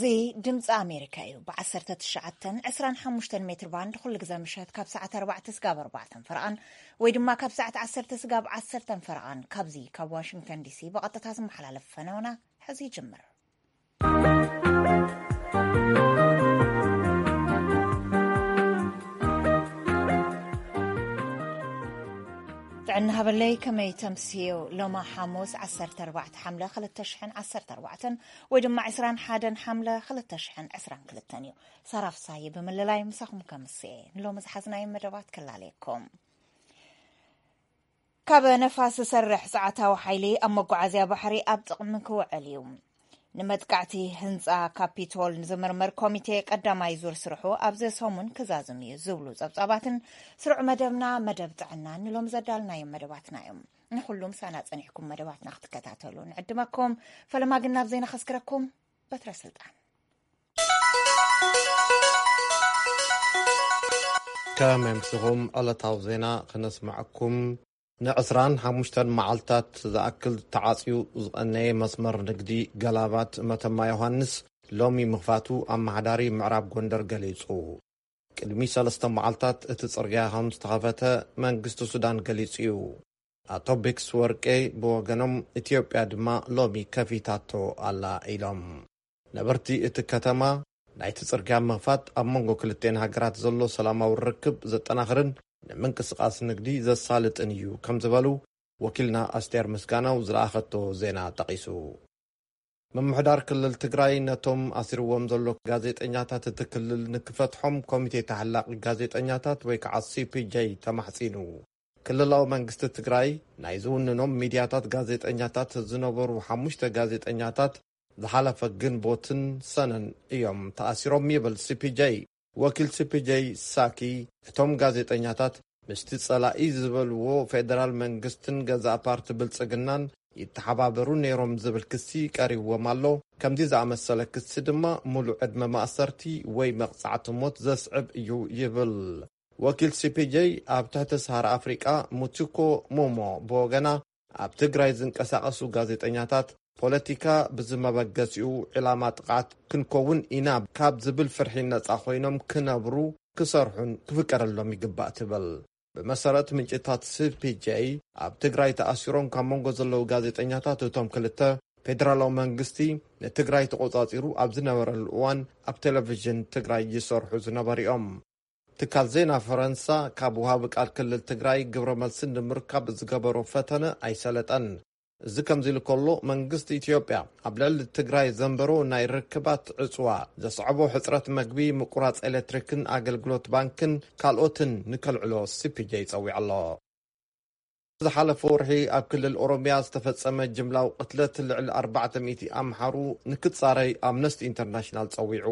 እዚ ድምፂ ኣሜሪካ እዩ። ብ19፣ 25 ሜትር ባንድ ኩሉ ግዜ ምሸት ካብ ሰዓት ኣርባዕተ ስጋብ ኣርባዕተን ፈረቓን ወይ ድማ ካብ ሰዓት ዓሰርተ ስጋብ ዓሰርተን ፈረቓን ካብዚ ካብ ዋሽንግተን ዲሲ ብቐጥታ ዝመሓላለፍ ፈነውና ሕዚ ይጅምር። ጥዕና ሃበለይ፣ ከመይ ተምስዮ? ሎማ ሓሙስ ዓሰርተ ኣርባዕተ ሓምለ ክልተ ሽሕን ዓሰርተ ኣርባዕተን ወይ ድማ ዕስራን ሓደን ሓምለ ክልተ ሽሕን ዕስራን ክልተን እዩ። ሳራ ፍሳዬ ብምልላይ ምሳኹም ከምስኤ ንሎሚ ዝሓዝናዮ መደባት ክላለየኩም። ካብ ነፋስ ዝሰርሕ ጸዓታዊ ሓይሊ ኣብ መጓዓዝያ ባሕሪ ኣብ ጥቕሚ ክውዕል እዩ። ንመጥቃዕቲ ህንጻ ካፒቶል ንዝምርምር ኮሚቴ ቀዳማይ ዙር ስርሑ ኣብዚ ሰሙን ክዛዝም እዩ ዝብሉ ጸብጻባትን ስሩዕ መደብና መደብ ጥዕና ንሎም ዘዳልናዮም መደባትና እዮም። ንኹሉም ሳና ጸኒሕኩም መደባትና ክትከታተሉ ንዕድመኩም። ፈለማ ግን ናብ ዜና ከስክረኩም። በትረ ስልጣን። ከመምስኹም ዕለታዊ ዜና ክነስምዐኩም። ን25 መዓልታት ዝኣክል ተዓጽዩ ዝቐነየ መስመር ንግዲ ገላባት መተማ ዮሃንስ ሎሚ ምኽፋቱ ኣመሓዳሪ ምዕራብ ጎንደር ገሊጹ። ቅድሚ ሰለስተ መዓልታት እቲ ጽርግያ ከም ዝተኸፈተ መንግስቲ ሱዳን ገሊጹ እዩ። ኣቶ ቤክስ ወርቄ ብወገኖም፣ ኢትዮጵያ ድማ ሎሚ ከፊታቶ ኣላ ኢሎም። ነበርቲ እቲ ከተማ፣ ናይቲ ጽርግያ ምኽፋት ኣብ መንጎ ክልቴን ሃገራት ዘሎ ሰላማዊ ርክብ ዘጠናኽርን ንምንቅስቓስ ንግዲ ዘሳልጥን እዩ ከም ዝበሉ ወኪልና ኣስቴር ምስጋናው ዝለኣኸቶ ዜና ጠቒሱ። ምምሕዳር ክልል ትግራይ ነቶም ኣሲርዎም ዘሎ ጋዜጠኛታት እቲ ክልል ንክፈትሖም ኮሚቴ ተሓላቒ ጋዜጠኛታት ወይ ከዓ ሲ ፒ ጄ ተማሕጺኑ። ክልላዊ መንግስቲ ትግራይ ናይ ዝውንኖም ሚድያታት ጋዜጠኛታት ዝነበሩ ሓሙሽተ ጋዜጠኛታት ዝሓለፈ ግንቦትን ሰነን እዮም ተኣሲሮም ይብል ሲ ፒ ጄ። ወኪል ሲ ፒ ጄ ሳኪ፣ እቶም ጋዜጠኛታት ምስቲ ጸላኢ ዝበልዎ ፌደራል መንግስትን ገዛእ ፓርቲ ብልጽግናን ይተሓባበሩ ነይሮም ዝብል ክሲ ቀሪብዎም ኣሎ። ከምዚ ዝኣመሰለ ክሲ ድማ ሙሉእ ዕድመ ማእሰርቲ ወይ መቕጻዕቲ ሞት ዘስዕብ እዩ ይብል። ወኪል ሲ ፒ ጄ ኣብ ትሕቲ ሰሃራ ኣፍሪቃ ሙቲኮ ሞሞ ብወገና፣ ኣብ ትግራይ ዝንቀሳቐሱ ጋዜጠኛታት ፖለቲካ ብዝመበገሲኡ ዕላማ ጥቕዓት ክንከውን ኢና ካብ ዝብል ፍርሒ ነጻ ኮይኖም ክነብሩ፣ ክሰርሑን ክፍቀደሎም ይግባእ ትብል። ብመሰረት ምንጭታት ሲ ፒ ጄ፣ ኣብ ትግራይ ተኣሲሮም ካብ መንጎ ዘለዉ ጋዜጠኛታት እቶም ክልተ፣ ፌደራላዊ መንግስቲ ንትግራይ ተቖጻጺሩ ኣብ ዝነበረሉ እዋን ኣብ ቴሌቪዥን ትግራይ ይሰርሑ ዝነበሩ እዮም። ትካል ዜና ፈረንሳ ካብ ወሃቢ ቃል ክልል ትግራይ ግብረ መልሲ ንምርካብ ዝገበሮ ፈተነ ኣይሰለጠን። እዚ ከምዚ ኢሉ ከሎ፣ መንግስቲ ኢትዮጵያ ኣብ ልዕሊ ትግራይ ዘንበሮ ናይ ርክባት ዕጽዋ ዘስዕቦ ሕጽረት መግቢ፣ ምቁራጽ ኤሌክትሪክን ኣገልግሎት ባንክን ካልኦትን ንከልዕሎ ሲ ፒ ጄ ጸዊዑ ኣሎ። ዝሓለፈ ወርሒ ኣብ ክልል ኦሮሚያ ዝተፈጸመ ጅምላዊ ቅትለት ልዕሊ ኣርባዕተ ሚእቲ ኣምሓሩ ንክጻረይ ኣምነስቲ ኢንተርናሽናል ጸዊዑ።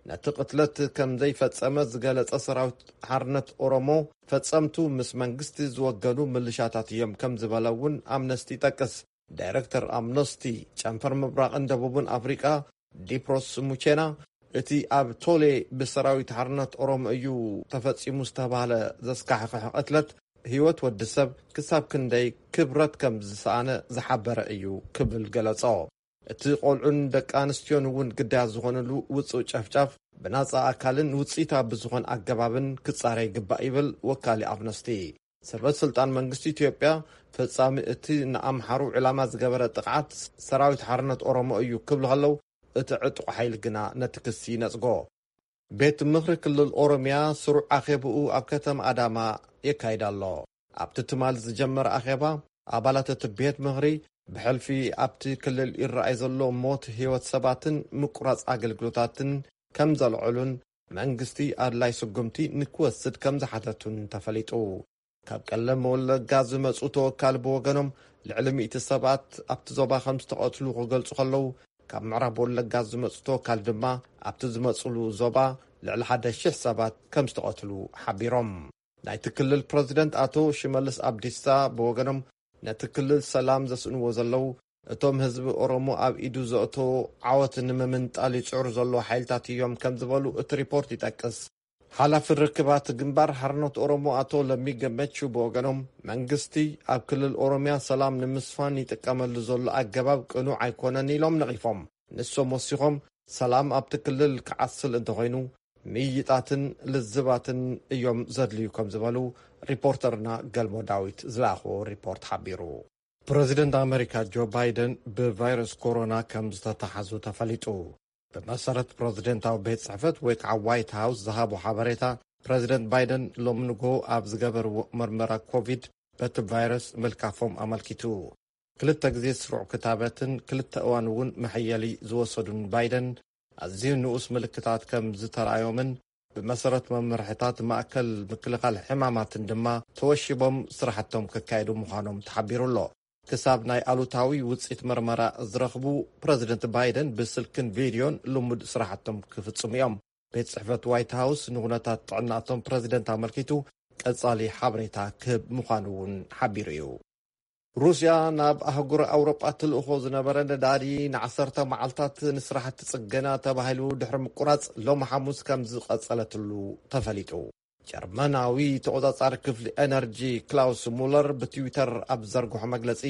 ነቲ ቅትለት ከም ዘይፈጸመ ዝገለጸ ሰራዊት ሓርነት ኦሮሞ፣ ፈጸምቱ ምስ መንግስቲ ዝወገኑ ምልሻታት እዮም ከም ዝበለ እውን ኣምነስቲ ይጠቅስ። ዳይረክተር ኣምነስቲ ጨንፈር ምብራቕን ደቡብን ኣፍሪቃ ዲፕሮስ ሙቼና፣ እቲ ኣብ ቶሌ ብሰራዊት ሓርነት ኦሮሞ እዩ ተፈጺሙ ዝተባህለ ዘስካሕክሕ ቅትለት ህይወት ወዲ ሰብ ክሳብ ክንደይ ክብረት ከም ዝሰኣነ ዝሓበረ እዩ ክብል ገለጾ። እቲ ቆልዑን ደቂ ኣንስትዮን እውን ግዳያት ዝኾነሉ ውጹእ ጨፍጫፍ ብናጻ ኣካልን ውጽኢታዊ ብዝኾን ኣገባብን ክጻረ ይግባእ ይብል ወካሊ ኣምነስቲ። ሰበ ስልጣን መንግስቲ ኢትዮጵያ፣ ፈጻሚ እቲ ንኣምሓሩ ዕላማ ዝገበረ ጥቕዓት ሰራዊት ሓርነት ኦሮሞ እዩ ክብሉ ከለዉ፣ እቲ ዕጡቕ ሓይሊ ግና ነቲ ክሲ ይነጽጎ። ቤት ምኽሪ ክልል ኦሮሚያ ስሩዕ ኣኼብኡ ኣብ ከተማ ኣዳማ የካይድ ኣሎ። ኣብቲ ትማል ዝጀመረ ኣኼባ፣ ኣባላት እቲ ቤት ምኽሪ ብሕልፊ ኣብቲ ክልል ይረኣይ ዘሎ ሞት ህይወት ሰባትን ምቁራጽ ኣገልግሎታትን ከም ዘልዕሉን መንግስቲ ኣድላይ ስጉምቲ ንክወስድ ከም ዝሓተቱን ተፈሊጡ። ካብ ቀለም ወለጋ ዝመጹ ተወካል ብወገኖም፣ ልዕሊ ሚእቲ ሰባት ኣብቲ ዞባ ከም ዝተቐትሉ ክገልጹ ከለዉ፣ ካብ ምዕራብ ወለጋ ዝመጹ ተወካል ድማ ኣብቲ ዝመጹሉ ዞባ ልዕሊ ሓደ ሽሕ ሰባት ከም ዝተቐትሉ ሓቢሮም። ናይቲ ክልል ፕረዚደንት ኣቶ ሽመልስ ኣብዲሳ ብወገኖም፣ ነቲ ክልል ሰላም ዘስእንዎ ዘለዉ፣ እቶም ህዝቢ ኦሮሞ ኣብ ኢዱ ዘእተዎ ዓወት ንምምንጣል ይጽዕሩ ዘለዉ ሓይልታት እዮም ከም ዝበሉ እቲ ሪፖርት ይጠቅስ። ሓላፊ ርክባት ግንባር ሓርነት ኦሮሞ ኣቶ ለሚ ገመቹ ብወገኖም፣ መንግስቲ ኣብ ክልል ኦሮሚያ ሰላም ንምስፋን ይጥቀመሉ ዘሎ ኣገባብ ቅኑዕ ኣይኮነን ኢሎም ነቒፎም። ንሶም ወሲኾም፣ ሰላም ኣብቲ ክልል ክዓስል እንተኾይኑ፣ ምይይጣትን ልዝባትን እዮም ዘድልዩ ከም ዝበሉ ሪፖርተርና ገልሞ ዳዊት ዝለኣኽዎ ሪፖርት ሓቢሩ። ፕረዚደንት ኣመሪካ ጆ ባይደን ብቫይረስ ኮሮና ከም ዝተተሓዙ ተፈሊጡ። ብመሰረት ፕረዚደንታዊ ቤት ጽሕፈት ወይ ከዓ ዋይት ሃውስ ዝሃቦ ሓበሬታ፣ ፕረዚደንት ባይደን ሎሚ ንግሆ ኣብ ዝገበርዎ መርመራ ኮቪድ በቲ ቫይረስ ምልካፎም ኣመልኪቱ። ክልተ ግዜ ስሩዕ ክታበትን ክልተ እዋን እውን መሐየሊ ዝወሰዱን ባይደን፣ ኣዝዩ ንኡስ ምልክታት ከም ዝተራእዮምን ብመሰረት መምርሕታት ማእከል ምክልኻል ሕማማትን ድማ ተወሺቦም ስራሕቶም ከካየዱ ምዃኖም ተሓቢሩ ኣሎ። ክሳብ ናይ ኣሉታዊ ውፅኢት መርመራ ዝረኽቡ፣ ፕረዚደንት ባይደን ብስልክን ቪድዮን ልሙድ ስራሕቶም ክፍጽሙ እዮም። ቤት ጽሕፈት ዋይት ሃውስ ንኩነታት ጥዕናቶም ፕረዚደንት ኣመልኪቱ ቀጻሊ ሓበሬታ ክህብ ምዃኑ እውን ሓቢሩ እዩ። ሩስያ ናብ ኣህጉር ኣውሮጳ ትልእኾ ዝነበረ ነዳዲ ንዓሰርተ መዓልታት ንስራሕቲ ጽገና ተባሂሉ ድሕሪ ምቁራጽ፣ ሎሚ ሓሙስ ከም ዝቐጸለትሉ ተፈሊጡ። ጀርመናዊ ተቖጻጻሪ ክፍሊ ኤነርጂ ክላውስ ሙለር ብትዊተር ኣብ ዘርግሖ መግለጺ፣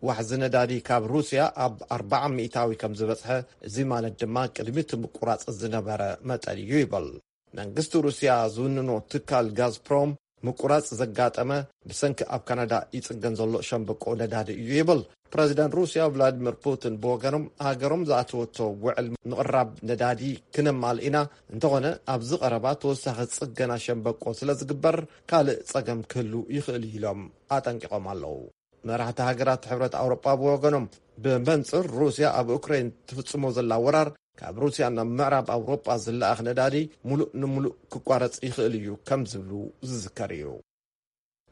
ዋሕዚ ነዳዲ ካብ ሩስያ ኣብ ኣርባዓ ሚእታዊ ከም ዝበጽሐ፣ እዚ ማለት ድማ ቅድሚ እቲ ምቁራጽ ዝነበረ መጠን እዩ ይበል። መንግስቲ ሩስያ ዝውንኖ ትካል ጋዝፕሮም ምቁራጽ ዘጋጠመ ብሰንኪ ኣብ ካናዳ ይጽገን ዘሎ ሸምበቆ ነዳዲ እዩ ይብል። ፕረዚደንት ሩስያ ቭላዲሚር ፑቲን ብወገኖም፣ ሃገሮም ዝኣተወቶ ውዕል ምቕራብ ነዳዲ ክነማል ኢና፣ እንተኾነ ኣብዚ ቀረባ ተወሳኺ ጽገና ሸምበቆ ስለ ዝግበር ካልእ ጸገም ክህሉ ይኽእል እዩ ኢሎም ኣጠንቂቖም ኣለዉ። መራሕቲ ሃገራት ሕብረት ኣውሮጳ ብወገኖም፣ ብመንጽር ሩስያ ኣብ ኡክሬን ትፍጽሞ ዘላ ወራር፣ ካብ ሩስያ ናብ ምዕራብ ኣውሮጳ ዝለኣኽ ነዳዲ ሙሉእ ንሙሉእ ክቋረጽ ይኽእል እዩ ከም ዝብሉ ዝዝከር እዩ።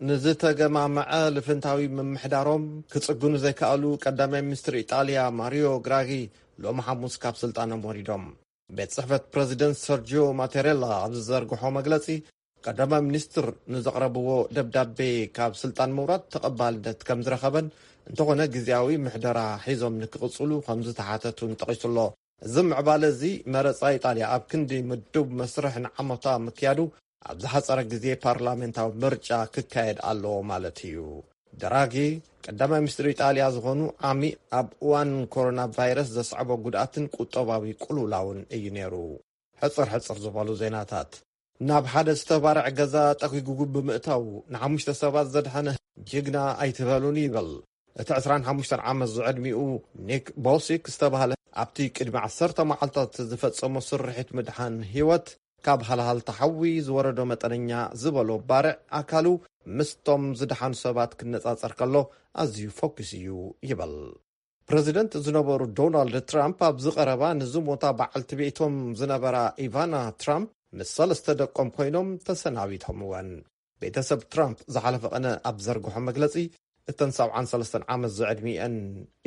ንዝተገማመዐ ልፍንታዊ ምምሕዳሮም ክጽግኑ ዘይከኣሉ ቀዳማይ ሚኒስትር ኢጣልያ ማሪዮ ግራጊ ሎሚ ሓሙስ ካብ ስልጣኖም ወሪዶም። ቤት ጽሕፈት ፕረዚደንት ሰርጂዮ ማቴሬላ ኣብ ዝዘርግሖ መግለጺ፣ ቀዳማይ ሚኒስትር ንዘቕረብዎ ደብዳቤ ካብ ስልጣን ምውራድ ተቐባልነት ከም ዝረኸበን፣ እንተኾነ ግዝያዊ ምሕደራ ሒዞም ንክቕጽሉ ከም ዝተሓተቱን ጠቒሱ ኣሎ። እዚ ምዕባለ እዚ፣ መረጻ ኢጣልያ ኣብ ክንዲ ምዱብ መስርሕ ንዓመታ ምክያዱ፣ ኣብ ዝሓጸረ ግዜ ፓርላሜንታዊ ምርጫ ክካየድ ኣለዎ ማለት እዩ። ድራጊ፣ ቀዳማይ ሚኒስትር ኢጣልያ ዝኾኑ ዓሚ፣ ኣብ እዋን ኮሮና ቫይረስ ዘስዐቦ ጉድኣትን ቁጠባዊ ቅልውላውን እዩ ነይሩ። ሕጽር ሕጽር ዝበሉ ዜናታት። ናብ ሓደ ዝተባርዐ ገዛ ጠጒጉ ብምእታው ንሓሙሽተ ሰባት ዘድሓነ ጅግና ኣይትበሉኒ ይብል። እቲ ዕስራን ሓሙሽተን ዓመት ዝዕድሚኡ ኒክ ቦሲክ ዝተባህለ፣ ኣብቲ ቅድሚ ዓሰርተ መዓልታት ዝፈጸሞ ስርሒት ምድሓን ህይወት፣ ካብ ሃልሃልታ ሓዊ ዝወረዶ መጠነኛ ዝበሎ ባርዕ ኣካሉ ምስቶም ዝደሓኑ ሰባት ክነጻጸር ከሎ ኣዝዩ ፈኲስ እዩ ይብል። ፕረዚደንት ዝነበሩ ዶናልድ ትራምፕ ኣብዚ ቀረባ ንዝሞታ በዓልቲ ቤቶም ዝነበራ ኢቫና ትራምፕ ምስ ሰለስተ ደቆም ኮይኖም ተሰናቢቶምወን። ቤተሰብ ትራምፕ ዝሓለፈ ቀነ ኣብ ዘርግሖ መግለጺ፣ እተን ሰብዓን ሰለስተን ዓመት ዝዕድሚአን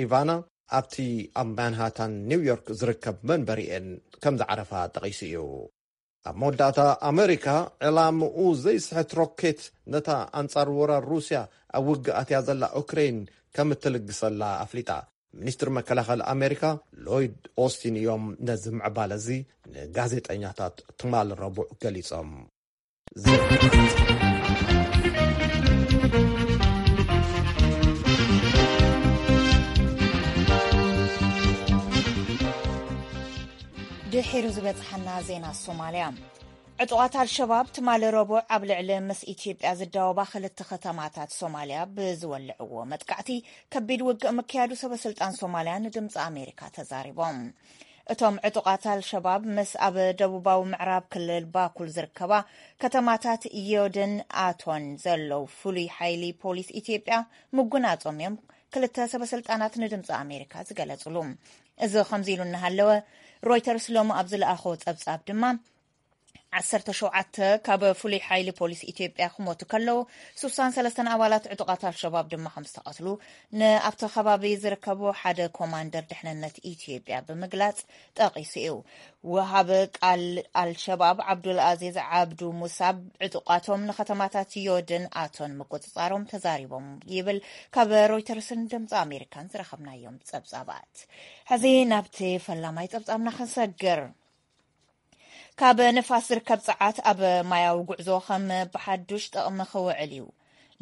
ኢቫና ኣብቲ ኣብ ማንሃታን ኒውዮርክ ዝርከብ መንበሪኤን ከም ዝዓረፋ ጠቒሱ እዩ። ኣብ መወዳእታ፣ ኣመሪካ ዕላምኡ ዘይስሕት ሮኬት ነታ ኣንጻር ወራር ሩስያ ኣብ ውግእ ኣትያ ዘላ ኡክሬን ከም እትልግሰላ ኣፍሊጣ። ሚኒስትር መከላኸሊ ኣሜሪካ ሎይድ ኦስቲን እዮም ነዚ ምዕባለ እዚ ንጋዜጠኛታት ትማሊ ረቡዕ ገሊጾም። ድሒሩ ዝበጽሓና ዜና ሶማልያ። ዕጡቓት ኣልሸባብ ትማሊ ረቡዕ ኣብ ልዕሊ ምስ ኢትዮጵያ ዝዳወባ ክልተ ከተማታት ሶማልያ ብዝወልዕዎ መጥቃዕቲ ከቢድ ውግእ ምክያዱ ሰበ ስልጣን ሶማልያ ንድምፂ ኣሜሪካ ተዛሪቦም። እቶም ዕጡቓት ኣልሸባብ ምስ ኣብ ደቡባዊ ምዕራብ ክልል ባኩል ዝርከባ ከተማታት ዮድን ኣቶን ዘለዉ ፍሉይ ሓይሊ ፖሊስ ኢትዮጵያ ምጉናጾም እዮም ክልተ ሰበ ስልጣናት ንድምፂ ኣሜሪካ ዝገለጹሉ። እዚ ከምዚ ኢሉ እናሃለወ፣ ሮይተርስ ሎሚ ኣብ ዝለኣኾ ጸብጻብ ድማ፣ ዓሰርተ ሸውዓተ ካብ ፍሉይ ሓይሊ ፖሊስ ኢትዮጵያ ክሞቱ ከለዉ፣ ስሳን ሰለስተን ኣባላት ዕጡቓት ኣልሸባብ ድማ ከም ዝተቐትሉ ንኣብቲ ከባቢ ዝርከቡ ሓደ ኮማንደር ድሕንነት ኢትዮጵያ ብምግላጽ ጠቒሱ እዩ። ወሃቢ ቃል ኣልሸባብ ዓብዱል ኣዚዝ ዓብዱ ሙሳብ ዕጡቓቶም ንከተማታት ዮድን ኣቶን ምቁጽጻሮም ተዛሪቦም ይብል ካብ ሮይተርስን ድምፂ ኣሜሪካን ዝረኸብናዮም ጸብጻባት። ሕዚ ናብቲ ፈላማይ ጸብጻብና ክንሰግር። ካብ ንፋስ ዝርከብ ጸዓት ኣብ ማያዊ ጉዕዞ ከም ብሓዱሽ ጥቕሚ ክውዕል እዩ።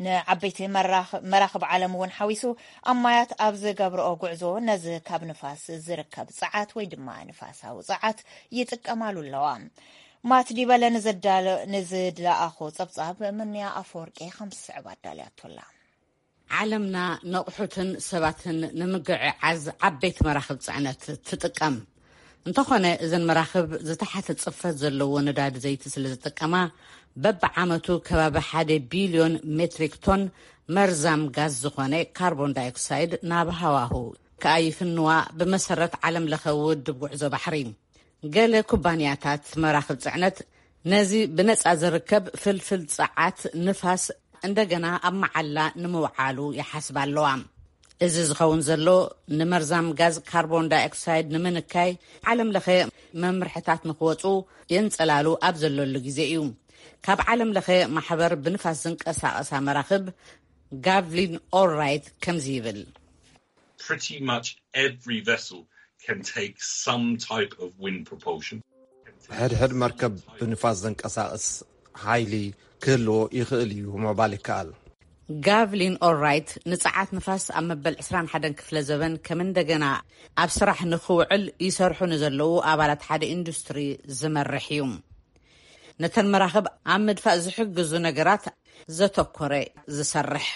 ንዓበይቲ መራኽ-፣ መራኽብ ዓለም እውን ሓዊሱ ኣብ ማያት ኣብ ዝገብርኦ ጉዕዞ ነዚ ካብ ንፋስ ዝርከብ ጸዓት ወይ ድማ ንፋሳዊ ጸዓት ይጥቀማሉ ኣለዋ። ማት ዲበለ ንዘዳለ-፣ ንዝለኣኾ ጸብጻብ ምንያ ኣፈወርቂ ከም ዝስዕብ ኣዳልያቶላ። ዓለምና ነቕሑትን ሰባትን ንምግዕዓዝ ዓበይቲ መራኽብ ጽዕነት ትጥቀም። እንተኾነ፣ እዘን መራኽብ ዝተሓተ ጽፈት ዘለዎ ነዳዲ ዘይቲ ስለ ዝጥቀማ፣ በብዓመቱ ከባቢ ሓደ ቢልዮን ሜትሪክ ቶን መርዛም ጋዝ ዝኾነ ካርቦን ዳይኦክሳይድ ናብ ሃዋሁ ከኣ ይፍንዋ፣ ብመሰረት ዓለም ለኸ ውድብ ጉዕዞ ባሕሪ። ገለ ኩባንያታት መራኽብ ጽዕነት ነዚ ብነጻ ዝርከብ ፍልፍል ጸዓት ንፋስ እንደገና ኣብ መዓላ ንምውዓሉ ይሓስባ ኣለዋ። እዚ ዝኸውን ዘሎ፣ ንመርዛም ጋዝ ካርቦን ዳይኦክሳይድ ንምንካይ ዓለም ለኸ መምርሕታት ንክወጹ የንጸላሉ ኣብ ዘለሉ ግዜ እዩ። ካብ ዓለም ለኸ ማሕበር ብንፋስ ዝንቀሳቐሳ መራኽብ ጋቭሊን ኦልራይት ከምዚ ይብል። Pretty much every vessel can take some type of wind propulsion. ሕድሕድ መርከብ ብንፋስ ዘንቀሳቕስ ሓይሊ ክህልዎ ይኽእል እዩ ምባል ይከኣል። ጋቭሊን ኦልራይት ንጸዓት ንፋስ ኣብ መበል ዕስራን ሓደን ክፍለ ዘበን ከም እንደገና ኣብ ስራሕ ንኽውዕል ይሰርሑ ንዘለዉ ኣባላት ሓደ ኢንዱስትሪ ዝመርሕ እዩ። ነተን መራኽብ ኣብ ምድፋእ ዝሕግዙ ነገራት ዘተኮረ ዝሰርሕ።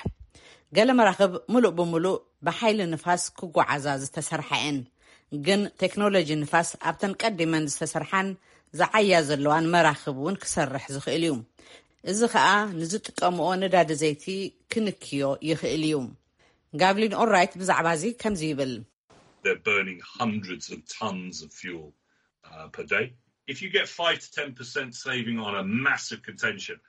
ገለ መራኽብ ምሉእ ብምሉእ ብሓይሊ ንፋስ ክጓዓዛ ዝተሰርሓ እየን፣ ግን ቴክኖሎጂ ንፋስ ኣብተን ቀዲመን ዝተሰርሓን ዝዓያ ዘለዋን መራኽብ እውን ክሰርሕ ዝኽእል እዩ። እዚ ኸኣ ንዝጥቀምኦ ነዳዲ ዘይቲ ክንክዮ ይኽእል እዩ። ጋብሊን ኦራይት ብዛዕባ እዚ ከምዚ ይብል። They're burning hundreds of tons of fuel uh, per day. If you get five to ten percent saving on a massive container ship,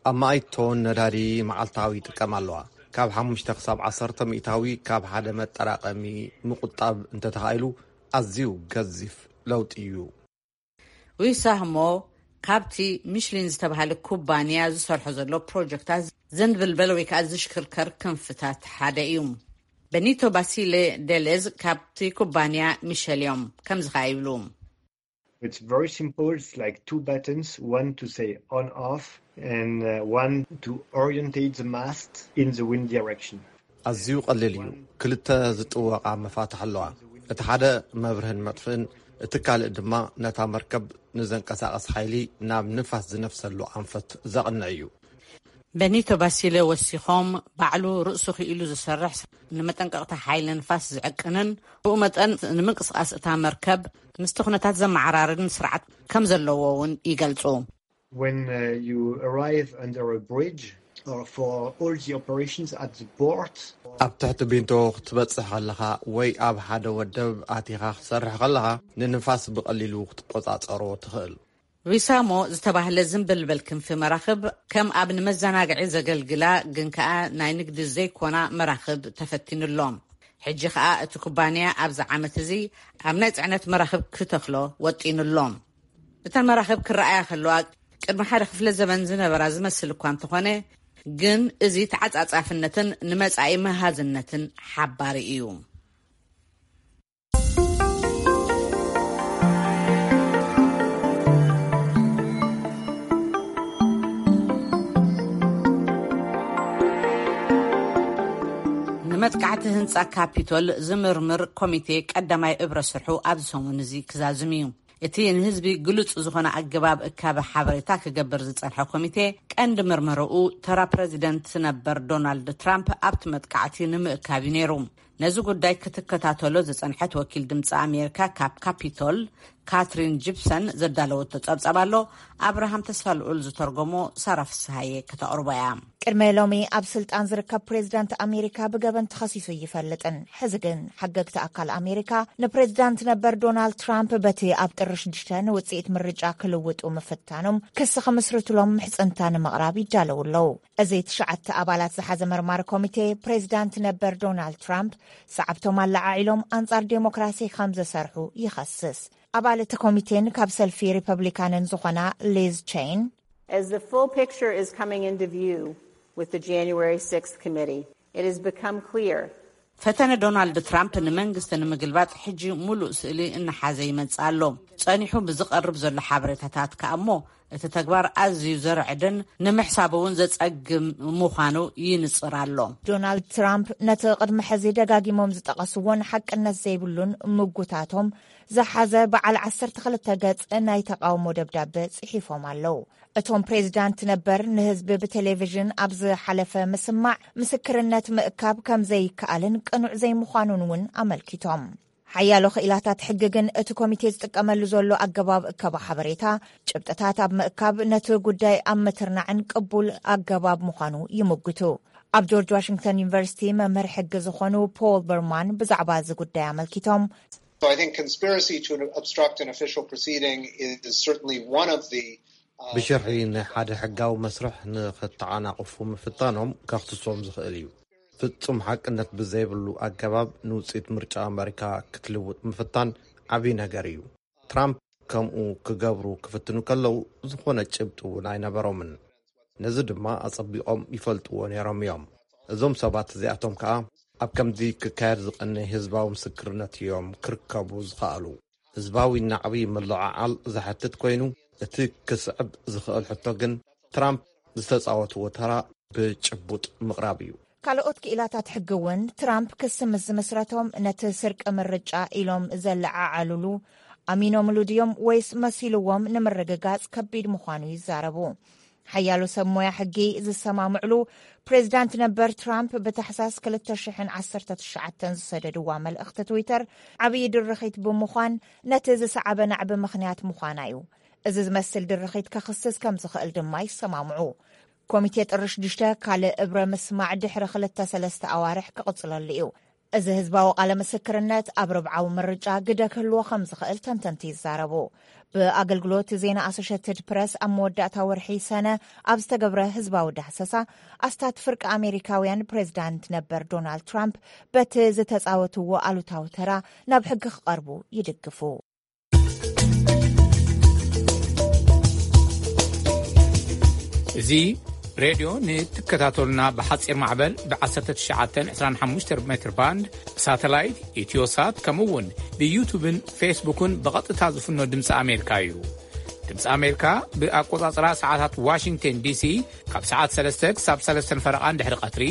ኣብ ማእቶን ነዳዲ መዓልታዊ ይጥቀም ኣለዋ። ካብ ሓሙሽተ ክሳብ ዓሰርተ ሚእታዊ ካብ ሓደ መጠራቐሚ ምቁጣብ እንተተኻኢሉ ኣዝዩ ገዚፍ ለውጢ እዩ። ዊሳህሞ ካብቲ ሚሽሊን ዝተባሃለ ኩባንያ ዝሰርሖ ዘሎ ፕሮጀክታት ዘንብልበል ወይ ከዓ ዝሽክርከር ክንፍታት ሓደ እዩ። በኒቶ ባሲሌ ደሌዝ ካብቲ ኩባንያ ሚሸል እዮም ከምዚ ከዓ ይብሉ። It's very simple. It's like two buttons, one to say on off and uh, one to orientate the mast in the wind direction. ኣዝዩ ቀሊል እዩ። ክልተ ዝጥወቓ መፋትሕ ኣለዋ። እቲ ሓደ መብርህን መጥፍእን፣ እቲ ካልእ ድማ ነታ መርከብ ንዘንቀሳቐስ ሓይሊ ናብ ንፋስ ዝነፍሰሉ ኣንፈት ዘቕንዕ እዩ። በኒቶ ባሲለ ወሲኾም፣ ባዕሉ ርእሱ ክኢሉ ዝሰርሕ፣ ንመጠንቀቕታ ሓይሊ ንፋስ ዝዕቅንን ብኡ መጠን ንምንቅስቓስ እታ መርከብ ምስቲ ኩነታት ዘመዓራርን ስርዓት ከም ዘለዎ እውን ይገልጹ። When uh, you arrive under a bridge or for all the operations at the port, ኣብ ትሕቲ ቢንቶ ክትበጽሕ ከለኻ ወይ ኣብ ሓደ ወደብ ኣቲኻ ክትሰርሕ ከለኻ፣ ንንፋስ ብቐሊሉ ክትቆጻጸሮ ትኽእል። ዊሳሞ ዝተባህለ ዝንብልበል ክንፊ መራኽብ ከም ኣብ ንመዘናግዒ ዘገልግላ ግን ከኣ ናይ ንግዲ ዘይኮና መራኽብ ተፈቲኑ ኣሎ። ሕጂ ከኣ እቲ ኩባንያ ኣብዚ ዓመት እዚ ኣብ ናይ ጽዕነት መራኽብ ክተኽሎ ወጢኑ ኣሎ። እተን መራኽብ ክረኣያ ከለዋ ቅድሚ ሓደ ክፍለ ዘበን ዝነበራ ዝመስል እኳ እንተኾነ፣ ግን እዚ ተዓጻጻፍነትን ንመጻኢ መሃዝነትን ሓባሪ እዩ። ንመጥቃዕቲ ህንጻ ካፒቶል ዝምርምር ኮሚቴ ቀዳማይ እብረ ስርሑ ኣብዚ ሰሙን እዚ ክዛዝም እዩ። እቲ ንህዝቢ ግሉጽ ዝኾነ ኣገባብ እካበ ሓበሬታ ክገብር ዝጸንሐ ኮሚቴ ቀንዲ መርመረኡ ተራ ፕረዚደንት ነበር ዶናልድ ትራምፕ ኣብቲ መጥቃዕቲ ንምእካብ እዩ ነይሩ። ነዚ ጉዳይ ክትከታተሎ ዝጸንሐት ወኪል ድምፂ ኣሜሪካ ካብ ካፒቶል ካትሪን ጂፕሰን ዘዳለወቶ ጸብጻብ ኣሎ። ኣብርሃም ተስፋ ልዑል ዝተርጎሞ ሳራ ፍስሃየ ከተቕርቦ እያ። ቅድመ ሎሚ ኣብ ስልጣን ዝርከብ ፕሬዝዳንት ኣሜሪካ ብገበን ተኸሲሱ ይፈልጥን። ሕዚ ግን ሓገግቲ ኣካል ኣሜሪካ ንፕሬዝዳንት ነበር ዶናልድ ትራምፕ በቲ ኣብ ጥሪ ሽዱሽተ ንውፅኢት ምርጫ ክልውጡ ምፍታኖም ክሲ ክምስርትሎም ምሕፅንታ ንምቕራብ ይዳለዉ ኣለዉ። እዚ ትሽዓተ ኣባላት ዝሓዘ መርማሪ ኮሚቴ ፕሬዝዳንት ነበር ዶናልድ ትራምፕ ሰዓብቶም ኣለዓዒሎም ኣንጻር ዴሞክራሲ ከም ዝሰርሑ ይኸስስ። ኣባል እቲ ኮሚቴን ካብ ሰልፊ ሪፐብሊካንን ዝኾና ሊዝ ቼን As the full picture is coming into view with the January sixth committee, it has become clear ፈተነ ዶናልድ ትራምፕ ንመንግስቲ ንምግልባጥ ሕጂ ሙሉእ ስእሊ እናሓዘ ይመጽእ ኣሎ። ጸኒሑ ብዝቐርብ ዘሎ ሓበሬታታት ከኣ እሞ እቲ ተግባር ኣዝዩ ዘርዕድን ንምሕሳብ እውን ዘጸግም ምዃኑ ይንጽር ኣሎ። ዶናልድ ትራምፕ ነቲ ቅድሚ ሕዚ ደጋጊሞም ዝጠቐስዎን ሓቅነት ዘይብሉን ምጉታቶም ዝሓዘ በዓል ዓሰርተ ክልተ ገጽ ናይ ተቓውሞ ደብዳበ ጽሒፎም ኣለዉ። እቶም ፕሬዚዳንት ነበር ንህዝቢ ብቴሌቪዥን ኣብ ዝሓለፈ ምስማዕ ምስክርነት ምእካብ ከም ዘይከኣልን ቅኑዕ ዘይምዃኑን እውን ኣመልኪቶም። ሓያሎ ክኢላታት ሕጊ ግን እቲ ኮሚቴ ዝጥቀመሉ ዘሎ ኣገባብ እከባ ሓበሬታ፣ ጭብጥታት ኣብ ምእካብ ነቲ ጉዳይ ኣብ ምትርናዕን ቅቡል ኣገባብ ምዃኑ ይምጉቱ። ኣብ ጆርጅ ዋሽንግተን ዩኒቨርሲቲ መምህር ሕጊ ዝኾኑ ፖል በርማን ብዛዕባ እዚ ጉዳይ ኣመልኪቶም So I think conspiracy to obstruct an official proceeding is certainly one of the ብሽርሒ ንሓደ ሕጋዊ መስርሕ ንኸተዓናቕፉ ምፍታኖም ከኽስሶም ዝኽእል እዩ። ፍጹም ሓቅነት ብዘይብሉ ኣገባብ ንውጽኢት ምርጫ ኣመሪካ ክትልውጥ ምፍታን ዓብዪ ነገር እዩ። ትራምፕ ከምኡ ክገብሩ ክፍትኑ ከለዉ ዝኾነ ጭብጢ እውን ኣይነበሮምን። ነዚ ድማ ኣጸቢቖም ይፈልጥዎ ነይሮም እዮም። እዞም ሰባት እዚኣቶም ከኣ ኣብ ከምዚ ክካየድ ዝቐነይ ህዝባዊ ምስክርነት እዮም ክርከቡ ዝኸኣሉ። ህዝባዊ ናዕቢ ምልዕዓል ዝሓትት ኮይኑ፣ እቲ ክስዕብ ዝኽእል ሕቶ ግን ትራምፕ ዝተጻወትዎ ተራ ብጭቡጥ ምቕራብ እዩ። ካልኦት ክኢላታት ሕጊ እውን ትራምፕ ክሲ ምስ ዝምስረቶም ነቲ ስርቂ ምርጫ ኢሎም ዘለዓዓሉሉ ኣሚኖምሉ ድዮም ወይስ መሲልዎም ንምርግጋጽ ከቢድ ምዃኑ ይዛረቡ። ሓያሎ ሰብ ሞያ ሕጊ ዝሰማምዕሉ ፕሬዚዳንት ነበር ትራምፕ ብታሕሳስ ክልተ ሽሕን ዓሰርተ ትሽዓተን ዝሰደድዋ መልእኽቲ ትዊተር ዓብዪ ድርኺት ብምዃን ነቲ ዝሰዓበ ናዕቢ ምኽንያት ምዃና እዩ። እዚ ዝመስል ድርኺት ከኽስስ ከም ዝኽእል ድማ ይሰማምዑ። ኮሚቴ ጥሪ ሽዱሽተ ካልእ እብረ ምስማዕ ድሕሪ ክልተ ሰለስተ ኣዋርሕ ክቕጽለሉ እዩ። እዚ ህዝባዊ ቃለ ምስክርነት ኣብ ርብዓዊ ምርጫ ግደ ክህልዎ ከም ዝኽእል ተንተንቲ ይዛረቡ። ብኣገልግሎት ዜና ኣሶሸትድ ፕረስ ኣብ መወዳእታ ወርሒ ሰነ ኣብ ዝተገብረ ህዝባዊ ዳህሰሳ ኣስታት ፍርቂ ኣሜሪካውያን ፕሬዚዳንት ነበር ዶናልድ ትራምፕ በቲ ዝተጻወትዎ ኣሉታዊ ተራ ናብ ሕጊ ክቐርቡ ይድግፉ። እዚ ሬድዮ ንትከታተሉና ብሓፂር ማዕበል ብ1925 ሜትር ባንድ ሳተላይት ኢትዮሳት ከምኡ እውን ብዩቱብን ፌስቡክን ብቐጥታ ዝፍኖ ድምፂ ኣሜሪካ እዩ። ድምፂ ኣሜሪካ ብኣቆፃፅራ ሰዓታት ዋሽንግተን ዲሲ ካብ ሰዓት ሰለስተ ክሳብ ሰለስተን ፈረቓን ድሕሪ ቀትሪ፣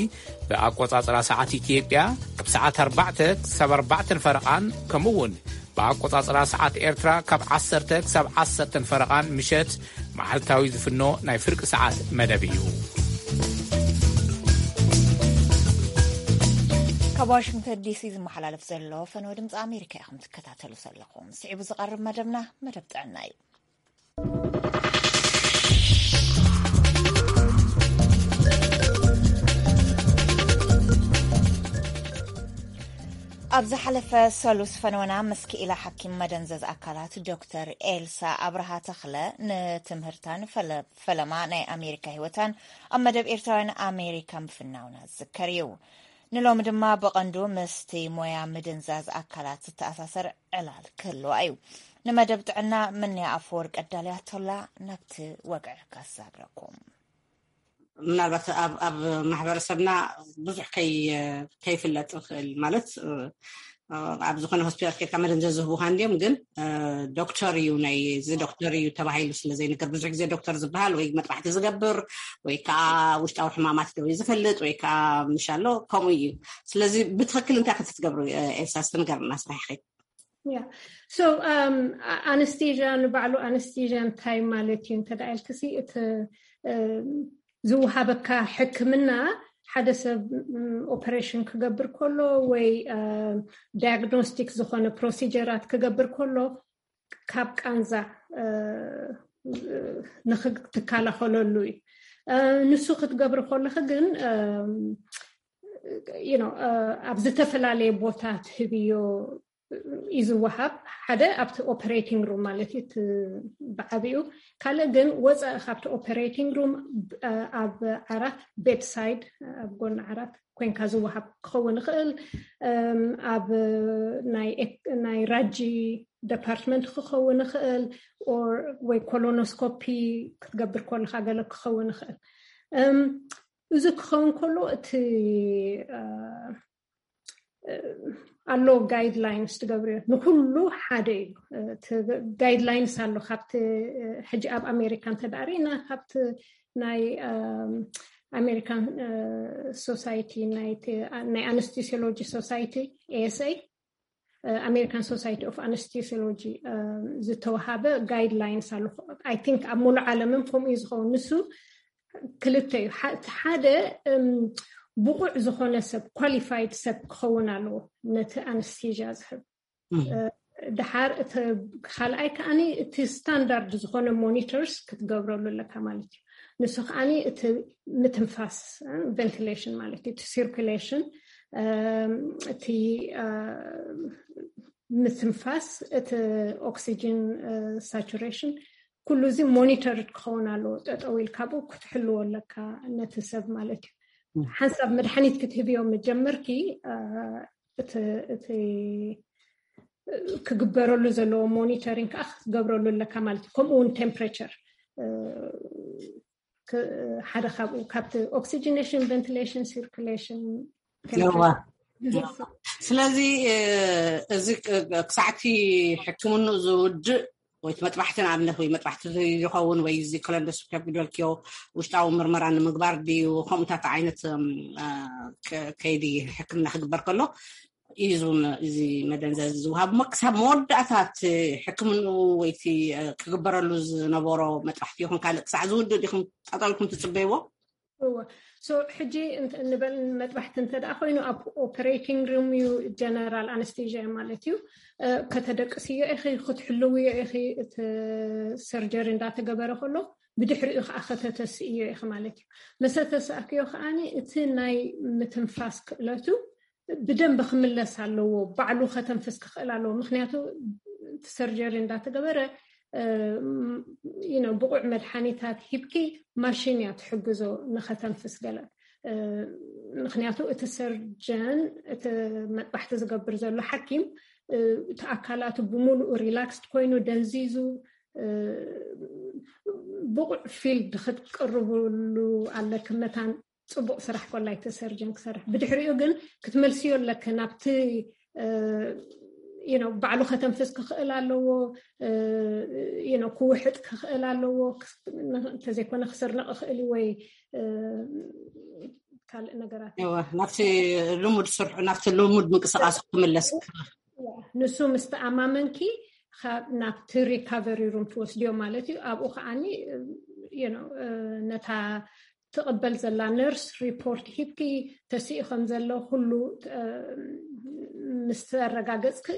ብኣቆፃፅራ ሰዓት ኢትዮጵያ ካብ ሰዓት ኣርባዕተ ክሳብ ኣርባዕተን ፈረቓን ከምኡ እውን ብኣቆጻጽራ ሰዓት ኤርትራ ካብ ዓሰርተ ክሳብ ዓሰርተን ፈረቓን ምሸት መዓልታዊ ዝፍኖ ናይ ፍርቂ ሰዓት መደብ እዩ። ካብ ዋሽንግተን ዲሲ ዝመሓላለፍ ዘሎ ፈነወ ድምፂ ኣሜሪካ ኢኹም ትከታተሉ ዘለኹም። ስዒቡ ዝቐርብ መደብና መደብ ጥዕና እዩ። ኣብ ዝሓለፈ ሰሉስ ፈነወና ምስ ክኢላ ሓኪም መደንዘዝ ኣካላት ዶክተር ኤልሳ ኣብርሃ ተኽለ ንትምህርታን ፈለ- ፈለማ ናይ ኣሜሪካ ህይወታን ኣብ መደብ ኤርትራውያን ኣሜሪካ ምፍናውና ዝዝከር እዩ። ንሎሚ ድማ ብቐንዱ ምስቲ ሞያ ምድንዛዝ ኣካላት ዝተኣሳሰር ዕላል ክህልዋ እዩ። ንመደብ ጥዕና ምንያ ኣፈወርቂ ኣዳልያቶላ ናብቲ ወግዒ ከሳግረኩም። ምናልባት ኣብ ኣብ ማሕበረሰብና ብዙሕ ከይ ከይፍለጥ ይኽእል ማለት ኣብ ዝኾነ ሆስፒታል ኬድካ መደንዘ ዝህቡኻ እንዲዮም ግን ዶክተር እዩ ናይ እዚ ዶክተር እዩ ተባሂሉ ስለ ዘይንገር ብዙሕ ግዜ ዶክተር ዝበሃል ወይ መጥባሕቲ ዝገብር ወይ ከዓ ውሽጣዊ ሕማማት ዶ ዝፈልጥ ወይ ከዓ ምሻሎ ከምኡ እዩ። ስለዚ ብትኽክል እንታይ ክትትገብሩ ኤልሳ ስትንገርና ስራሕኺ። Yeah. So um, anesthesia ንባዕሉ anesthesia እንታይ ማለት እዩ እንተ ኢልክሲ እቲ ዝውሃበካ ሕክምና ሓደ ሰብ ኦፐሬሽን ክገብር ከሎ ወይ ዳያግኖስቲክ ዝኾነ ፕሮሲጀራት ክገብር ከሎ ካብ ቃንዛ ንክትከላኸለሉ እዩ። ንሱ ክትገብሪ ከለኺ ግን ኣብ ዝተፈላለየ ቦታ ትህብዮ እዩ ዝወሃብ። ሓደ ኣብቲ ኦፐሬቲንግ ሩም ማለት እዩ ብዓብኡ፣ ካልእ ግን ወፃኢ ካብቲ ኦፐሬቲንግ ሩም ኣብ ዓራት ቤድሳይድ ኣብ ጎኒ ዓራት ኮይንካ ዝወሃብ ክኸውን ይኽእል። ኣብ ናይ ራጂ ደፓርትመንት ክኸውን ይኽእል ወይ ኮሎኖስኮፒ ክትገብር ከለካ ገለ ክኸውን ይኽእል። እዚ ክኸውን ከሎ እቲ ኣሎ guidelines ትገብርዮ ንኩሉ ሓደ እዩ። Guidelines ኣሎ ካብቲ ሕጂ ኣብ ኣሜሪካ እንተዳሪና ካብቲ ናይ American Society ናይ Anesthesiology Society, A S A, American Society of Anesthesiology ዝተወሃበ guidelines ኣሎ። I think ኣብ ሙሉእ ዓለምን ከምኡ እዩ ዝኸውን። ንሱ ክልተ እዩ። ሓደ ብቑዕ ዝኾነ ሰብ፣ qualified ሰብ ክኸውን ኣለዎ ነቲ ኣነስቴዥያ ዝህብ። ድሓር እቲ ካልኣይ ከዓኒ እቲ ስታንዳርድ ዝኾነ ሞኒተርስ ክትገብረሉ ኣለካ ማለት እዩ። ንሱ ከዓኒ እቲ ምትንፋስ፣ ቨንቲሌሽን ማለት እዩ፣ እቲ ሲርኩሌሽን፣ እቲ ምትንፋስ፣ እቲ ኦክሲጅን ሳቹሬሽን፣ ኩሉ እዚ ሞኒተርድ ክኸውን ኣለዎ። ጠጠው ኢልካ ብኡ ክትሕልዎ ኣለካ ነቲ ሰብ ማለት እዩ። ሓንሳብ መድሓኒት ክትህብዮ መጀመርኪ እቲ ክግበረሉ ዘለዎ ሞኒተሪንግ ከዓ ክትገብረሉ ኣለካ ማለት እዩ። ከምኡ እውን ቴምፕሬቸር ሓደ ካብኡ ካብቲ ኦክሲጂኔሽን፣ ቨንቲሌሽን፣ ሲርኩሌሽን። ስለዚ እዚ ክሳዕቲ ሕክምንኡ ዝውድእ ወይ መጥባሕቲ ንኣብነት ወይ መጥባሕቲ ይኸውን ወይ እዚ ኮሎንዶስኮፒ ድበልክዮ ውሽጣዊ ምርመራ ንምግባር ድዩ ከምኡታት ዓይነት ከይዲ ሕክምና ክግበር ከሎ እዩ እዚ መደንዘዚ ዝወሃብ እሞ ክሳብ መወዳእታት ሕክምንኡ ወይቲ ክግበረሉ ዝነበሮ መጥባሕቲ ይኹን ካልእ ክሳዕ ዝውድእ ዲኹም ጠጠልኩም ትፅበይዎ? እወ። ሕጂ ንበል መጥባሕቲ እንተ ደኣ ኮይኑ ኣብ ኦፐሬቲንግ ሩም እዩ፣ ጀነራል ኣነስቴዥያ ማለት እዩ። ከተደቅስዮ ኢኺ፣ ክትሕልውዮ ኢኺ፣ እቲ ሰርጀሪ እንዳተገበረ ከሎ ብድሕሪኡ ከዓ ከተተስእዮ ኢኺ ማለት እዩ። መሰ ተሳእክዮ ከዓኒ እቲ ናይ ምትንፋስ ክእለቱ ብደንብ ክምለስ ኣለዎ። ባዕሉ ከተንፍስ ክኽእል ኣለዎ። ምክንያቱ እቲ ሰርጀሪ እንዳተገበረ ብቑዕ መድሓኒታት ሂብኪ ማሽን እያ ትሕግዞ ንኸተንፍስ ገለ። ምክንያቱ እቲ ሰርጀን እቲ መጥባሕቲ ዝገብር ዘሎ ሓኪም እቲ ኣካላቱ ብምሉኡ ሪላክስድ ኮይኑ ደንዚዙ ብቑዕ ፊልድ ክትቅርብሉ ኣለኪ። መታን ፅቡቅ ስራሕ ኮላይ እቲ ሰርጀን ክሰርሕ፣ ብድሕሪኡ ግን ክትመልስዮ ኣለኪ ናብቲ ባዕሉ ከተንፍስ ክኽእል ኣለዎ፣ ክውሕጥ ክኽእል ኣለዎ፣ እንተዘይኮነ ክስርንቕ ክኽእል ወይ ካልእ ነገራት ናብቲ ልሙድ ስርሑ ናብቲ ልሙድ ምንቅስቃስ ክምለስ። ንሱ ምስ ተኣማመንኪ ናብቲ ሪካቨሪ ሩም ትወስድዮ ማለት እዩ። ኣብኡ ከዓኒ ነታ ትቕበል ዘላ ነርስ ሪፖርት ሂብኪ ተስኢ ከም ዘሎ ኩሉ ምስ ኣረጋገፅኪ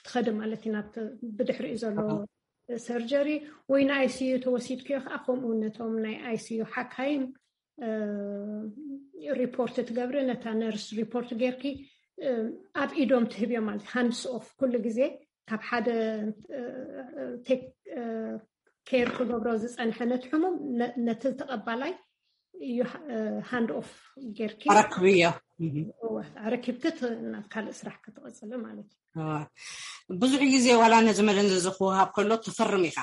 ትኸዲ ማለት እዩ ናብቲ ብድሕሪኡ ዘሎ ሰርጀሪ። ወይ ንኣይሲዩ ተወሲድክዮ ከዓ ከምኡ ነቶም ናይ ኣይሲዩ ሓካይም ሪፖርት ትገብሪ፣ ነታ ነርስ ሪፖርት ጌርኪ ኣብ ኢዶም ትህብዮ ማለት ሃንድስ ኦፍ ኩሉ ግዜ ካብ ሓደ ቴክ ኬር ክገብሮ ዝፀንሐ ነቲ ሕሙም ነቲ ተቐባላይ እዩ ሃንድ ኦፍ ጌርኪ ኣረክብዮ። ኣረኪብኪ ናብ ካልእ ስራሕ ክትቐፅሊ ማለት እዩ። ብዙሕ ግዜ ዋላ ነዚ መደንዘዚ ክወሃብ ከሎ ትፈርም ኢኻ።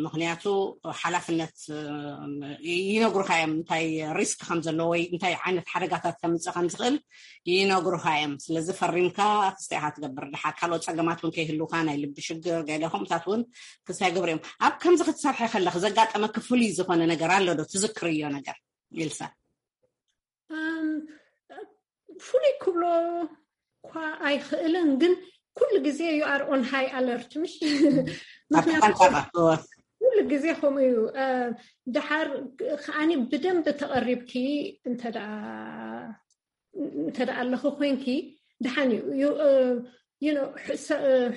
ምክንያቱ ሓላፍነት ይነግሩካ እዮም፣ እንታይ ሪስክ ከም ዘለዎ ወይ እንታይ ዓይነት ሓደጋታት ከምፅእ ከም ዝኽእል ይነግሩካ እዮም። ስለዚ ፈሪምካ ክስተ ኢኻ ትገብር። ድሓር ካልኦት ፀገማት እውን ከይህልውካ ናይ ልቢ ሽግር ገለ ከምኡታት እውን ክስታይ ግብር እዮም። ኣብ ከምዚ ክትሰርሐ ከለክ ዘጋጠመ ክፍሉይ ዝኾነ ነገር ኣሎ ዶ ትዝክርዮ ነገር ኢልሳ? ፍሉይ ክብሎ እኳ ኣይኽእልን፣ ግን ኩሉ ግዜ you are on high alert ምሽ? ኩሉ ግዜ ከምኡ እዩ። ድሓር ከዓኒ ብደንብ ተቐሪብኪ እንተ ደኣ ኣለኹ ኮይንኪ ድሓን እዩ።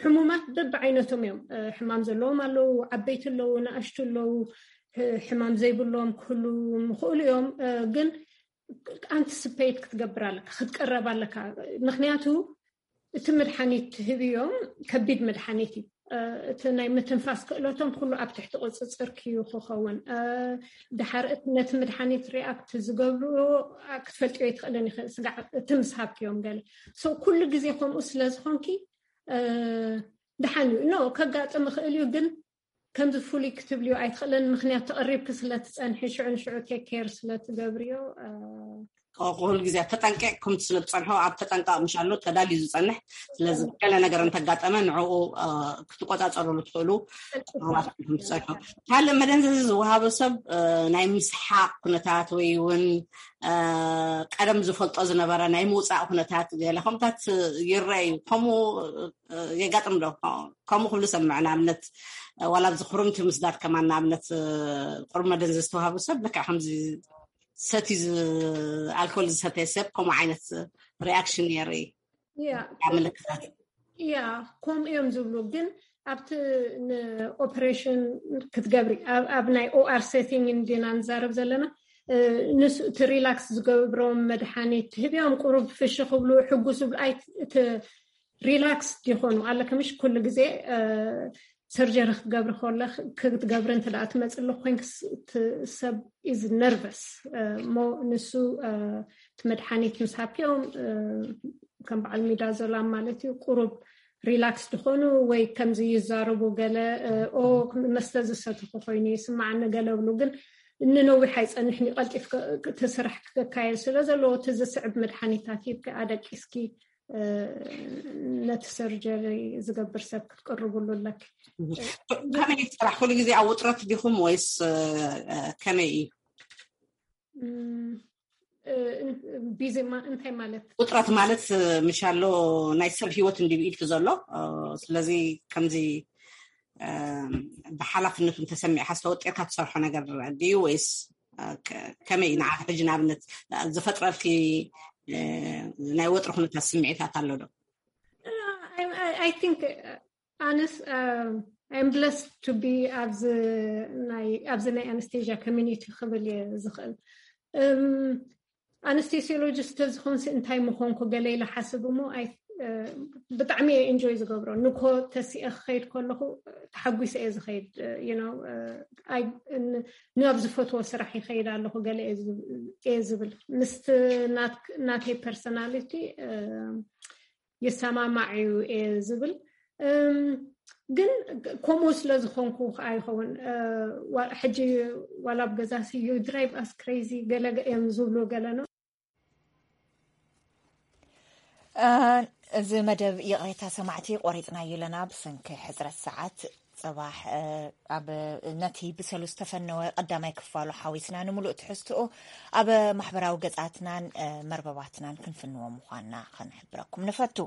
ሕሙማት በብዓይነቶም እዮም። ሕማም ዘለዎም ኣለዉ፣ ዓበይቲ ኣለዉ፣ ንኣሽቱ ኣለዉ፣ ሕማም ዘይብሎም ክህሉ ምኽእሉ እዮም። ግን ኣንቲስፔት ክትገብር ኣለካ፣ ክትቀረብ ኣለካ። ምክንያቱ እቲ መድሓኒት ትህብዮም ከቢድ መድሓኒት እዩ። እቲ ናይ ምትንፋስ ክእለቶም ኩሉ ኣብ ትሕቲ ቁፅፅር ክዩ ክኸውን። ድሓር እቲ ነቲ መድሓኒት ሪኣክት ዝገብርዎ ክትፈልጥዮ ኣይትኽእልን ይኽእል፣ ስጋዕ እቲ ምስ ሃብክዮም ገለ። ኩሉ ግዜ ከምኡ ስለ ዝኾንኪ ድሓን እዩ። ኖ ከጋጥም ይኽእል እዩ፣ ግን ከምዚ ፍሉይ ክትብልዮ ኣይትኽእልን፣ ምክንያቱ ተቐሪብኪ ስለ ትጸንሒ፣ ሽዑ ንሽዑ ቴክ ኬር ስለ ትገብርዮ። ኩሉ ግዜ ተጠንቂቕኩም ስለ ትጸንሑ ኣብ ተጠንቃቕ ምሻሉ ተዳልዩ ዝጸንሕ። ስለዚ ገለ ነገር እንተጋጠመ ንዕኡ ክትቆጻጸሩሉ ትኽእሉ። ካልእ መደንዘዚ ዝወሃበ ሰብ ናይ ምስሓቕ ኩነታት ወይ እውን ቀደም ዝፈልጦ ዝነበረ ናይ ምውፃእ ኩነታት ገለ ከምታት ይረኣዩ። ከምኡ የጋጥም ዶ? ከምኡ ክብሉ ሰምዕ ንኣብነት ዋላ ኣብዚ ክሩምቲ ምስዳድ ከማን ንኣብነት ቁሩብ መደንዘ ዝተዋሃቡ ሰብ ልክዕ ከምዚ ሰቲ ኣልኮል ዝሰተየ ሰብ ከምኡ ዓይነት ሪኣክሽን የርኢ። ምልክታት ያ ከምኡ እዮም ዝብሉ። ግን ኣብቲ ንኦፕሬሽን ክትገብሪ ኣብ ናይ ኦኣር ሴቲንግ እንዲና ንዛረብ ዘለና። ንሱ እቲ ሪላክስ ዝገብሮም መድሓኒት ትህብዮም ቁሩብ ፍሽ ክብሉ ሕጉስ ዝብሉ ኣይ እቲ ሪላክስ ይኾኑ ኣለከ ምሽ ኩሉ ግዜ ሰርጀሪ ክትገብሪ ከለክ ክትገብሪ እንተ ደኣ ትመፅእ ኣለኩ ኮይንክ ሰብ ኢዝ ነርቨስ እሞ ንሱ እቲ መድሓኒት ምስ ሃብክኦም ከም በዓል ሚዳዞላም ማለት እዩ ቁሩብ ሪላክስ ዝኾኑ ወይ ከምዚ ይዛረቡ ገለ ኦ መስተ ዝሰትኹ ኮይኑ ይስማዓኒ ገለ ብሉ ግን ንነዊሕ ኣይፀንሕን እዩ ቀልጢፍ እቲ ስራሕ ክካየድ ስለ ዘለዎ እቲ ዝስዕብ መድሓኒታት ሂብኪ ኣደቂስኪ ነቲ ሰርጀሪ ዝገብር ሰብ ክትቅርብሉ ኣለኪ። ከመይ ስራሕ ኩሉ ግዜ ኣብ ውጥረት ዲኹም ወይስ ከመይ እዩ? ቢዚ እንታይ ማለት ውጥረት ማለት ምሻሎ ናይ ሰብ ሂወት እንዲብኢልኪ ዘሎ ስለዚ ከምዚ ብሓላፍነቱ እንተሰሚዕካ ዝተወጢርካ ትሰርሖ ነገር ድዩ ወይስ ከመይ ንዓኺ ሕጂ ንኣብነት ዝፈጥረልኪ ናይ ወጥሪ ኩነታት ስምዒታት ኣሎ ዶ? I think ኣነስ I'm blessed to be ኣብዚ ናይ ኣነስቴዥያ ኮሚኒቲ ክብል እየ ዝኽእል። ኣነስቴሲዮሎጂስት ተዝኾንሲ እንታይ ምኾንኩ ገለ ኢለ ሓስብ እሞ ብጣዕሚ እየ ኢንጆይ ዝገብሮ። ንኮ ተሲኤ ክኸይድ ከለኹ ተሓጒሰ እየ ዝኸይድ። ናብ ዝፈትዎ ስራሕ ይኸይድ ኣለኹ ገለ እየ ዝብል ምስቲ ናተይ ፐርሶናሊቲ ይሰማማዕ እዩ እየ ዝብል። ግን ከምኡ ስለ ዝኾንኩ ከዓ ይኸውን ሕጂ ዋላ ኣብ ገዛ ዩ ድራይቭ ኣስ ክሬዚ ገለ እዮም ዝብሉ ገለ ነው። እዚ መደብ ይቕሬታ ሰማዕቲ ቆሪፅናዮ ኣለና ብሰንኪ ሕፅረት ሰዓት። ፅባሕ ኣብ ነቲ ብሰሉስ ዝተፈነወ ቀዳማይ ክፋሉ ሓዊስና ንምሉእ ትሕዝትኡ ኣብ ማሕበራዊ ገፃትናን መርበባትናን ክንፍንዎ ምዃንና ክንሕብረኩም ንፈቱ።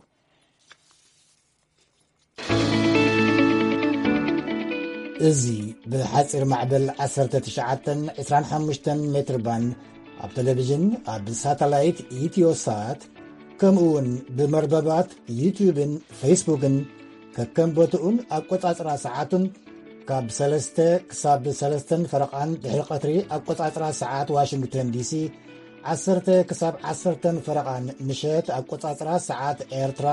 እዚ ብሓፂር ማዕበል ዓሰርተ ትሽዓተን ዕስራን ሓሙሽተን ሜትር ባንድ ኣብ ቴሌቪዥን ኣብ ሳተላይት ኢትዮሳት ከምኡ እውን ብመርበባት ዩትዩብን ፌስቡክን ከከም ቦትኡን ኣቆፃፅራ ሰዓቱን ካብ ሰለስተ ክሳብ ሰለስተን ፈረቓን ድሕሪ ቀትሪ ኣቆፃፅራ ሰዓት ዋሽንግተን ዲሲ ዓሰርተ ክሳብ ዓሰርተን ፈረቓን ምሸት ኣቆፃፅራ ሰዓት ኤርትራ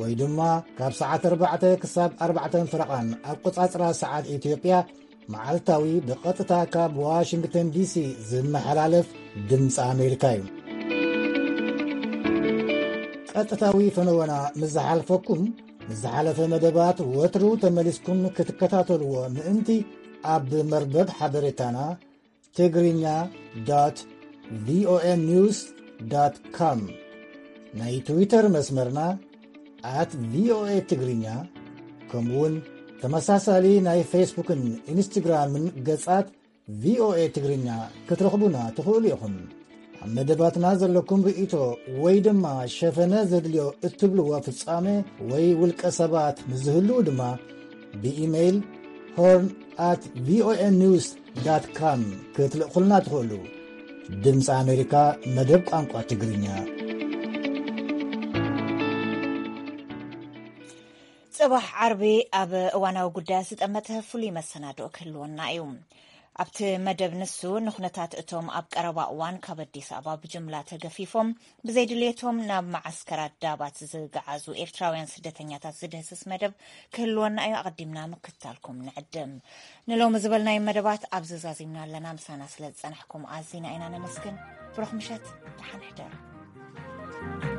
ወይ ድማ ካብ ሰዓት ኣርባዕተ ክሳብ ኣርባዕተን ፈረቓን ኣቆፃፅራ ሰዓት ኢትዮጵያ መዓልታዊ ብቐጥታ ካብ ዋሽንግተን ዲሲ ዝመሓላለፍ ድምፂ ኣሜሪካ እዩ። ቀጥታዊ ፈነወና ምስ ዝሓልፈኩም ምስ ዝሓለፈ መደባት ወትሩ ተመሊስኩም ክትከታተልዎ ምእንቲ ኣብ መርበብ ሓበሬታና ትግርኛ ዶት ቪኦኤ ኒውስ ዶት ኮም ናይ ትዊተር መስመርና ኣት ቪኦኤ ትግርኛ ከምኡውን ተመሳሳሊ ናይ ፌስቡክን ኢንስትግራምን ገጻት ቪኦኤ ትግርኛ ክትረኽቡና ትኽእሉ ኢኹም። ኣብ መደባትና ዘለኩም ርእይቶ ወይ ድማ ሸፈነ ዘድልዮ እትብልዎ ፍጻሜ ወይ ውልቀ ሰባት ምስ ዝህልዉ ድማ ብኢሜይል ሆርን ኣት ቪኦኤ ኒውስ ዳት ካም ክትልእኹልና ትኽእሉ። ድምፂ ኣሜሪካ መደብ ቋንቋ ትግርኛ። ጽባሕ ዓርቢ ኣብ እዋናዊ ጉዳያት ዝጠመተ ፍሉይ መሰናድኦ ክህልወና እዩ። ኣብቲ መደብ ንሱ ንኹነታት እቶም ኣብ ቀረባ እዋን ካብ ኣዲስ ኣበባ ብጅምላ ተገፊፎም ብዘይድልየቶም ናብ መዓስከራት ዳባት ዝገዓዙ ኤርትራውያን ስደተኛታት ዝድህስስ መደብ ክህልወና እዩ። ኣቐዲምና ምክትታልኩም ንዕድም። ንሎሚ ዝበልናዮም መደባት ኣብዚ ዛዚምና ኣለና። ምሳና ስለ ዝጸናሕኩም ኣዚና ኢና ነመስግን። ብሩኽ ምሸት፣ ደሓን ሕደሩ።